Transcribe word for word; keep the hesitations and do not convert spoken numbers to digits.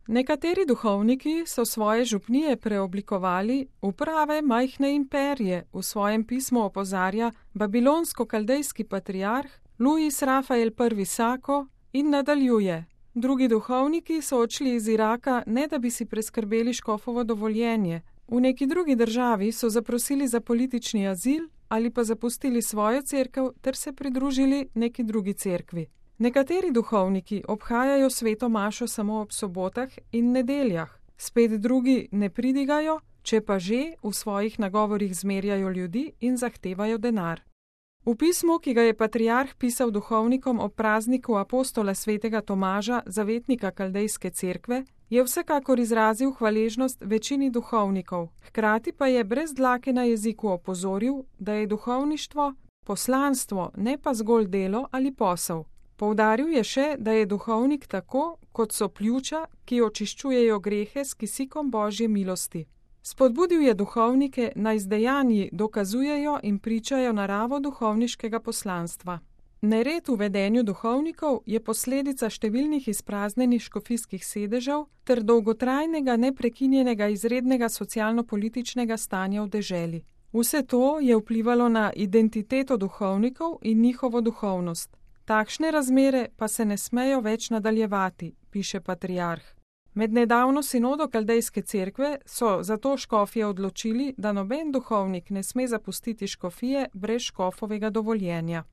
Nekateri duhovniki so svoje župnije preoblikovali v prave majhne imperije, v svojem pismu opozarja babilonsko-kaldejski patriarh Luis Rafael I. Sako in nadaljuje. Drugi duhovniki so odšli iz Iraka, ne da bi si preskrbeli škofovo dovoljenje. V neki drugi državi so zaprosili za politični azil ali pa zapustili svojo cerkev ter se pridružili neki drugi cerkvi. Nekateri duhovniki obhajajo sveto mašo samo ob sobotah in nedeljah, spet drugi ne pridigajo, če pa že v svojih nagovorih zmerjajo ljudi in zahtevajo denar. V pismu, ki ga je patriarh pisal duhovnikom ob prazniku apostola svetega Tomaža, zavetnika kaldejske cerkve, je vsekakor izrazil hvaležnost večini duhovnikov, hkrati pa je brez dlake na jeziku opozoril, da je duhovništvo poslanstvo, ne pa zgolj delo ali posel. Poudaril je še, da je duhovnik tako, kot so pljuča, ki očiščujejo grehe s kisikom Božje milosti. Spodbudil je duhovnike, naj z dejanji dokazujejo in pričajo naravo duhovniškega poslanstva. Nered v vedenju duhovnikov je posledica številnih izpraznenih škofijskih sedežev ter dolgotrajnega neprekinjenega izrednega socialno-političnega stanja v deželi. Vse to je vplivalo na identiteto duhovnikov in njihovo duhovnost. Takšne razmere pa se ne smejo več nadaljevati, piše patriarh. Med nedavno sinodo kaldejske cerkve so zato škofje odločili, da noben duhovnik ne sme zapustiti škofije brez škofovega dovoljenja.